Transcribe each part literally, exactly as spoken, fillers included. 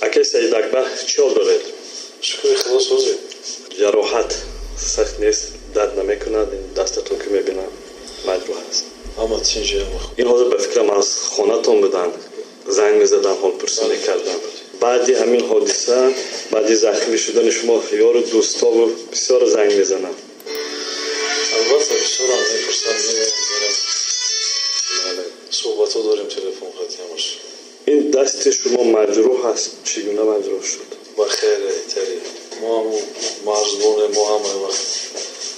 Акай Саид Акбар, чӣ ҳол доред? Шукри Худо, созем. Ҷароҳат сахт нест, дард намекунад? Дастатон ки мебинам, маҷрӯҳ аст. Ҳама тинҷи, ҳама хуб. Ин ҳозир ба фикрам, аз хонатон буданд, занг мезадан, ҳолпурсӣ мекарданд. Баъди ҳамин ҳодиса, баъди захмӣ шудани шумо, ёру дӯстову бисёр занг мезананд. Албатта, бисёрам мепурсанд, меоянд, мерам, суҳбатҳо дорем телефон хати ҳамаш. Ин дасти шумо маҷрӯҳ аст, чӣ гуна маҷрӯҳ шуд? Ба хейр, итари мо ҳаму марзбоне, мо ҳамаи вақт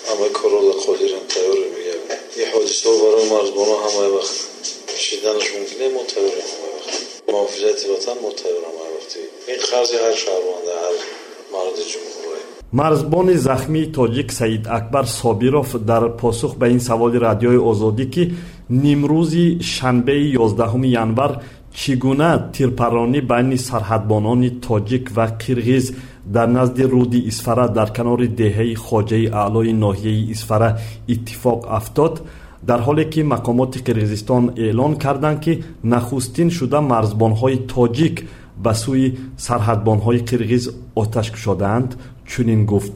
ҳамаи корро қодирем, тайёрем. Мегӯям, ин ҳодисаҳо барои марзбонҳо ҳамаи вақт шиданаш мумкин, мо тайёрем ҳамаи вақт. Муҳофизати ватан, мо тайёрем ҳамаи вақти. Ин қарзи ҳар шаҳрванда, ҳар марди ҷумҳурӣ. Марзбони захмии тоҷик Саид Акбар Собиров дар посух ба ин саволи Радиои Озодӣ, ки нимрӯзи шанбеи ёздаҳуми январ чӣ гуна тирпаронӣ байни сарҳадбонони тоҷик ва қирғиз дар назди руди Исфара, дар канори деҳаи Хоҷаи Аълои ноҳияи Исфара иттифоқ афтод, дар ҳоле ки мақомоти Қирғизистон эълон карданд, ки нахустин шуда марзбонҳои тоҷик ба сӯи сарҳадбонҳои қирғиз оташ кушодаанд, чунин гуфт: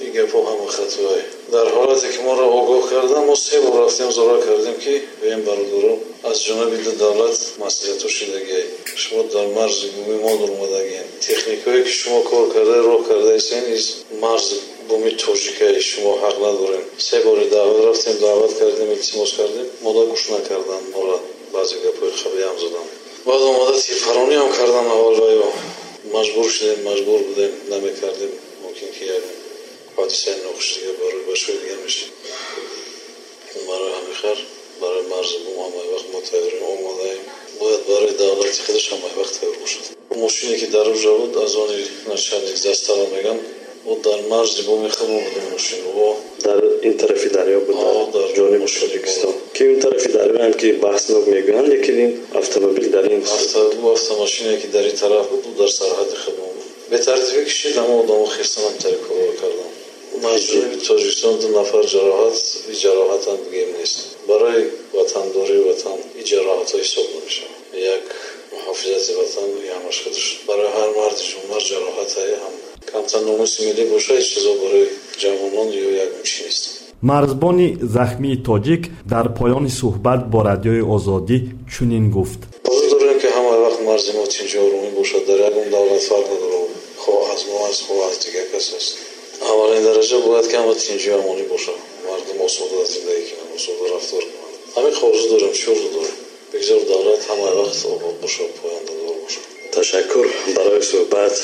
Ин гапҳо ҳама хатое. Дар ҳолате ки моро огоҳ кардан, мо се бор рафтем, зора кардем, ки бем, бародаро, аз ҷониби ду давлат маслиҳатҳо шидагиай, шумо дар марзи буми мо дуромадагиен, техникое ки шумо кор карда, роҳ кардаистен, из марзи буми тоҷикай, шумо ҳақ надорем. Се бори даъват рафтем, даъват кардем, илтимос кардем, мода гӯш накардан, моро баъзе гапҳои қабиҳам заданд. Баъд омада тирпарониам кардан аввал ваё маҷбур шудем, маҷбур будем, намекардем, мумкин ки як ҳодисаи нохуш дига барои бачаҳои дига мешид. Барои ҳамин хар барои марзи бум ҳамаи вақт мо тайёрем, омодаем. Бояд барои давлати худаш ҳамаи вақт тайёр бошад. Мошине ки дар уҷа буд, аз они начальник застава меган, ӯ дар марзи буми худмо буд мошин о. Дар ин тарафи дарё буд, дар ҷониби Тоҷикистон, ки ин тарафи дарёам ки баҳснок мегӯянд, лекин ин автомобил дар ин Автомошине ки дар ин тараф буд, ӯ дар сарҳади худмо буд. Бетартибӣ кишид, ҳама одамо хестан, тари корро кардан. Аз ҷониби Тоҷикистон ду нафар ҷароҳат, и ҷароҳатам бигем нест, барои ватандории ватан и ҷароҳатҳо ҳисоб намешавад. Як муҳофизати ватан ҳамаш худаш барои ҳар марди ҷумҳур ҷароҳатае ҳам камтар номуси миллӣ боша, ҳеҷ чизо барои ҷавонон ё ягон чи нест. Марзбони захмии тоҷик дар поёни суҳбат бо Радиои Озодӣ чунин гуфт: Орзу дорем, ки ҳамаи вақт марзи мо тинҷу оромӣ бошад. Дар ягон давлат фарқ надорад, хоҳ аз мо аст, хоҳ аз дигар кас аст. Аввалин дараҷа бояд ки ҳама тинҷу амонӣ бошад, мардум осода зиндагӣ кунанд, осода рафтор кунанд. Ҳамин орзу дорем. Чӣ орзу дорем? Бигзор давлат ҳамаи вақт обод бошад, пояндадор бошад. Ташаккур барои суҳбат.